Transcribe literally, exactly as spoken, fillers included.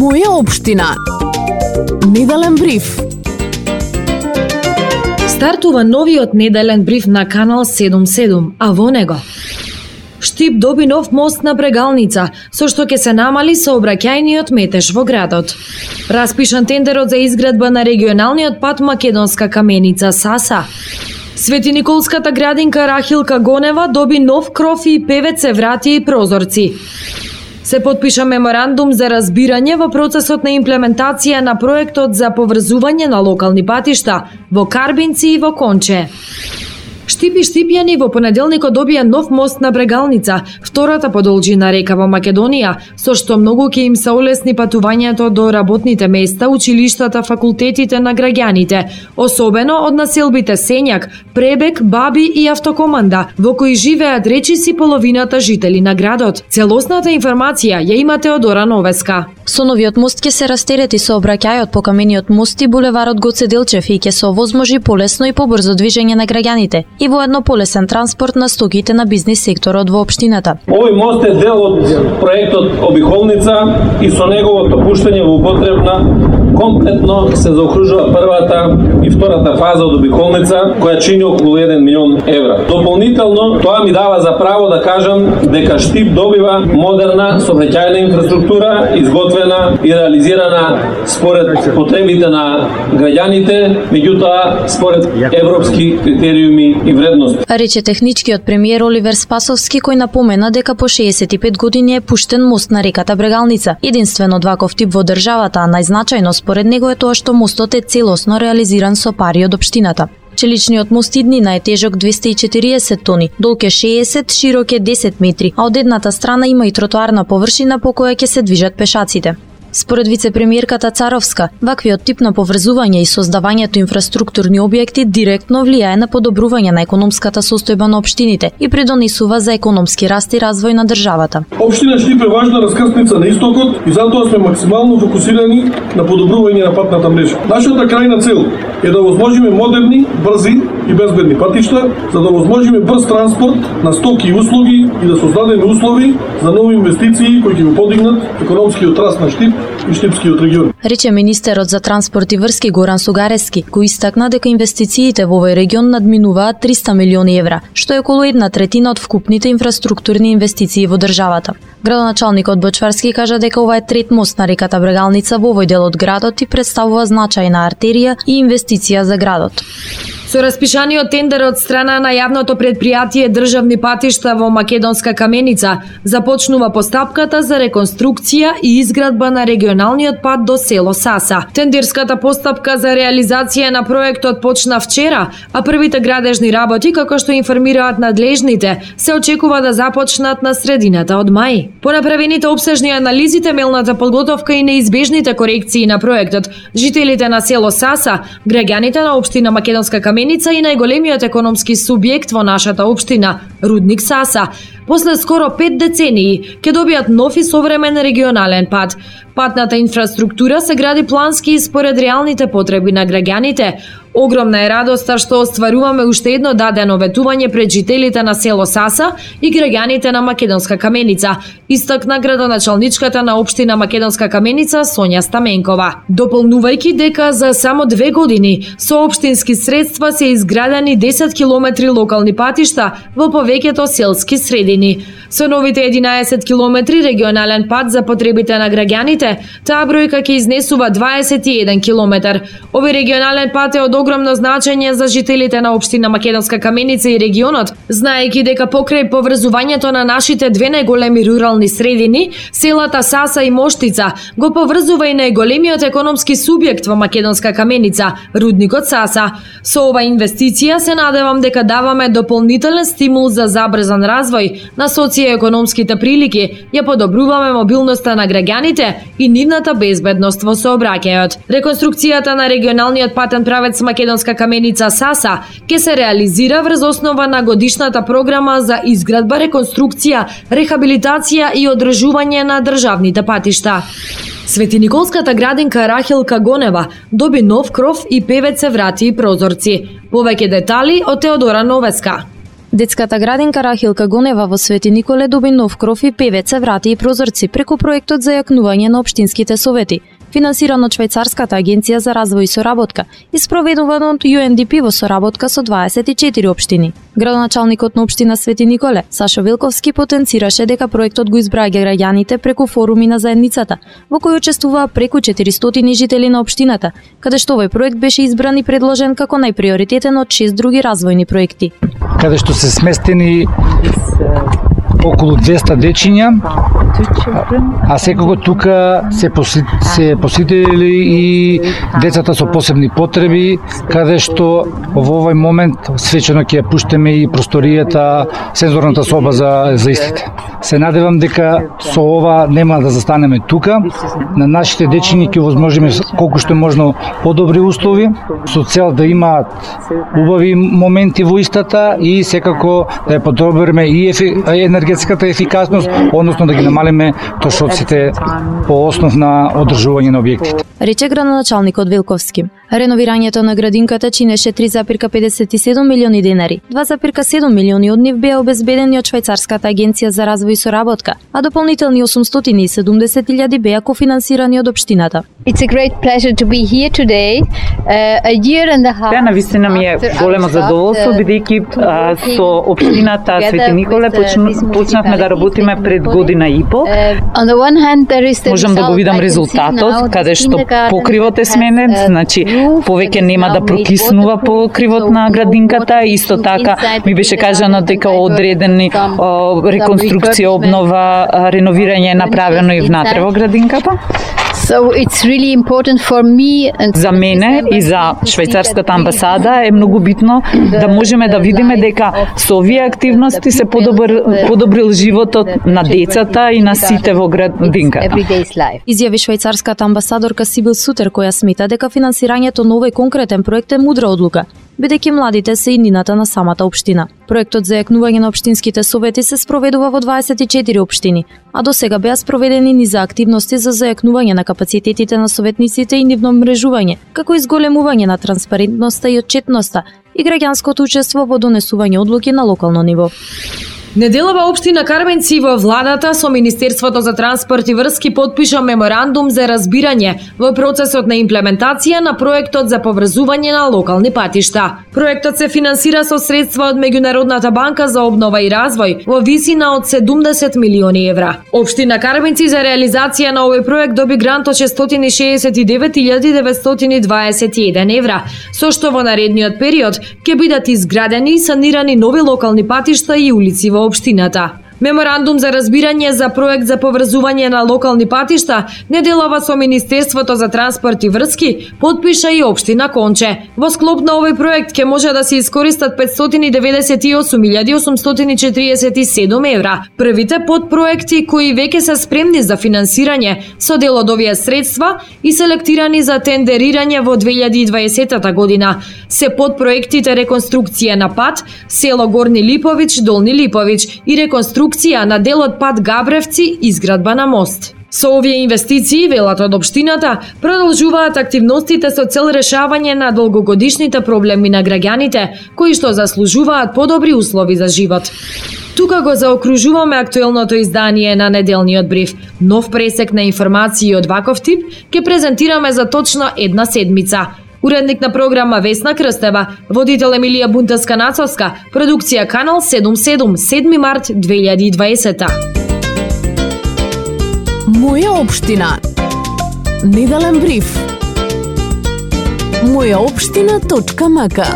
Моја општина. Неделен бриф. Стартува новиот неделен бриф на Канал седумдесет и седум, а во него Штип доби нов мост на Брегалница, со што ќе се намали сообраќајниот метеж во градот. Распишан тендерот за изградба на регионалниот пат Македонска каменица Саса. Свети Николската градинка Рахилка Гонева доби нов кров и певец врати и прозорци. Се потпиша меморандум за разбирање во процесот на имплементација на проектот за поврзување на локални патишта во Карбинци и во Конче. Штип и Штипјани во понеделникот добија нов мост на Брегалница, втората по должина река во Македонија, со што многу ќе им се олесни патувањето до работните места, училиштата, факултетите на граѓаните, особено од населбите Сењак, Пребек, Баби и Автокоманда, во кои живеат речиси половината жители на градот. Целосната информација ја има Теодора Новеска. Со новиот мост ќе се растерети сообраќајот по камениот мост и булеварот Гоце Делчев и ќе се овозможи полесно и побрзо движење на граѓаните и воедно полесен транспорт на стоките на бизнис секторот во општината. Овој мост е дел од проектот Обиколница и со неговото пуштање во употребна комплетно се заокружува првата и втората фаза од Обиколница, која чини околу еден милион евра. Дополнително, тоа ми дава за право да кажам дека Штип добива модерна сообраќајна инфраструктура, изготвена и реализирана според потребите на граѓаните, меѓутоа според европски критериуми и вредности. Рече техничкиот премиер Оливер Спасовски, кој напомена дека по шеесет и пет години е пуштен мост на реката Брегалница, единствено ваков тип во државата, а најзначајно според него е тоа што мостот е целосно реализиран со пари од општината. Челичниот мост иднина е тежок двесте и четириесет тони, долг е шеесет, широк е десет метри, а од едната страна има и тротоарна површина по која ќе се движат пешаците. Според вице-премиерката Царовска, ваквиот тип на поврзување и создавањето инфраструктурни објекти директно влијае на подобрување на економската состојба на општините и придонесува за економски раст и развој на државата. Општина Штип е важна раскрсница на истокот и затоа сме максимално фокусирани на подобрување на патната мрежа. Нашата крајна цел е да возможиме модерни, брзи и безбедни патишта, за да возможиме брз транспорт на стоки и услуги и да создадеме услови за нови инвестиции кои ќе го подигнат економскиот раст на Штип и Штипскиот регион. Рече министерот за транспорт и врски Горан Сугарески, кој истакна дека инвестициите во овој регион надминуваат триста милиони евра, што е околу една третина од вкупните инфраструктурни инвестиции во државата. Градоначалникот Бочварски кажа дека ова е трет мост на реката Брегалница во овој дел од градот и представува значајна артерија и инвестиција за градот. Со распишаниот тендер од страна на јавното предпријатие Државни патишта во Македонска каменица започнува постапката за реконструкција и изградба на регионалниот пат до село Саса. Тендерската постапка за реализација на проектот почна вчера, а првите градежни работи, како што информираат надлежните, се очекува да започнат на средината од мај. По направените опсежни анализи, темелната подготовка и неизбежните корекции на проектот, жителите на село Саса, граѓаните на општина Македонска каменица и најголемиот економски субјект во нашата општина, Рудник Саса, после скоро пет децении, ќе добијат нов и современ регионален пат. Патната инфраструктура се гради плански и според реалните потреби на граѓаните. Огромна е радоста што остваруваме уште едно дадено ветување пред жителите на село Саса и граѓаните на Македонска каменица, истакна градоначалничката на општина Македонска каменица Сонја Стаменкова, дополнувајќи дека за само две години со општински средства се изградени десет километри локални патишта во повеќето селски средини. Со новите единаесет километри регионален пат за потребите на граѓаните, таа бројка ќе изнесува дваесет и еден километар. Овој регионален пат е од огромно значење за жителите на општина Македонска каменица и регионот, знаејќи дека покрај поврзувањето на нашите две најголеми рурални средини, селата Саса и Моштица, го поврзува и најголемиот економски субјект во Македонска каменица, Рудникот Саса. Со ова инвестиција се надевам дека даваме дополнителен стимул за забрзан развој на социјоекономските прилики, ја подобруваме мобилноста на граѓаните и нивната безбедност во сообраќајот. Реконструкцијата на регионалниот патен правец Македонска каменица Саса ќе се реализира врз основа на годишната програма за изградба, реконструкција, рехабилитација и одржување на државните патишта. Свети Николската градинка Рахилка Гонева доби нов кров и певец врати и прозорци. Повеќе детали од Теодора Новеска. Детската градинка Рахилка Гонева во Свети Николе доби нов кров и певеце, врати и прозорци преку проектот за јакнување на општинските совети, финансиран од Швајцарската агенција за развој и соработка и спроведуван од Ю Ен Ди Пи во соработка со дваесет и четири општини. Градоначалникот на општина Свети Николе, Сашо Вилковски, потенцираше дека проектот го избраѓа граѓаните преку форуми на заедницата, во кој учествуваа преку четиристотини жители на општината, каде што овој проект беше избран и предложен како најприоритетен од шест други развојни проекти. Каде што се сместени околу двеста дечиња, а секако тука се, поси, се посетили и децата со посебни потреби, каде што во овој момент свечено ќе ја пуштеме и просторијата, сензорната соба за, за истите. Се надевам дека со ова нема да застанеме тука. На нашите дечиња ќе возможиме колку што е можно подобри услови, со цел да имаат убави моменти во истата и секако да ја подобриме и ефи, енергетската ефикасност, односно да ги намалиме трошоците по основ на одржување на објектите. Рече градоначалникот Вилковски. Реновирањето на градинката чинеше три зарез педесет и седум милиони денари. два зарез седум милиони од нив беа обезбедени од Швајцарската агенција за развој и соработка, а дополнителни осумстотини и седумдесет илјади беа кофинансирани од општината. It's a great pleasure to be here today. Uh, a year and a half. Тоа навистина ми е големо задоволство бидејќи со општината Свети Николе почнавме да работиме пред година и пол. On the one hand there is the Можам да го видам резултатот, каде што покривот е сменет, значи повеќе нема да прокиснува покривот на градинката, исто така ми беше кажано дека одредени реконструкција, обнова, реновирање е направено и внатре во градинката. So it's really important for me and за мене и за швајцарската амбасада е многу битно да можеме да видиме дека со овие активности се подобр, подобрил животот на децата и на сите во градинката. Изјави швајцарската амбасадорка Сибил Сутер, која смета дека финансирањето на овој конкретен проект е мудра одлука, бидејќи младите се иднината на самата општина. Проектот за јакнување на општинските совети се спроведува во дваесет и четири општини, а до сега беа спроведени низа активности за зајакнување на капацитетите на советниците и нивно мрежување, како и зголемување на транспарентноста и отчетноста и граѓанското учество во донесување одлуки на локално ниво. Неделава општина Карменци во владата со Министерството за транспорт и врски потпиша меморандум за разбирање во процесот на имплементација на проектот за поврзување на локални патишта. Проектот се финансира со средства од Меѓународната банка за обнова и развој во висина од седумдесет милиони евра. Општина Карменци за реализација на овој проект доби грант од шестстотини шеесет и девет илјади деветстотини дваесет и еден евра, со што во наредниот период ќе бидат изградени и санирани нови локални патишта и улици во општината. Меморандум за разбирање за проект за поврзување на локални патишта неделава со Министерството за транспорт и врски потпиша и општина Конче. Во склоп на овој проект ќе може да се искористат петстотини деветдесет и осум илјади осумстотини четиридесет и седум евра. Првите подпроекти кои веќе се спремни за финансирање со дел од овие средства и селектирани за тендерирање во две илјади и дваесета година се подпроектите реконструкција на пат село Горни Липовиќ, Долни Липовиќ и реконструкција на делот пат Габревци, изградба на мост. Со овие инвестиции, велат од општината, продолжуваат активностите со цел решавање на долгогодишните проблеми на граѓаните, кои што заслужуваат подобри услови за живот. Тука го заокружуваме актуелното издание на неделниот бриф. Нов пресек на информации од ваков тип ќе презентираме за точно една седмица. Уредник на програма Весна Крстева, водител Емилија Бунтевска-Нацовска, продукција Канал седумдесет и седум, седми март две илјади и дваесета. Моја општина. Неделен бриф. моја општина точка ем ка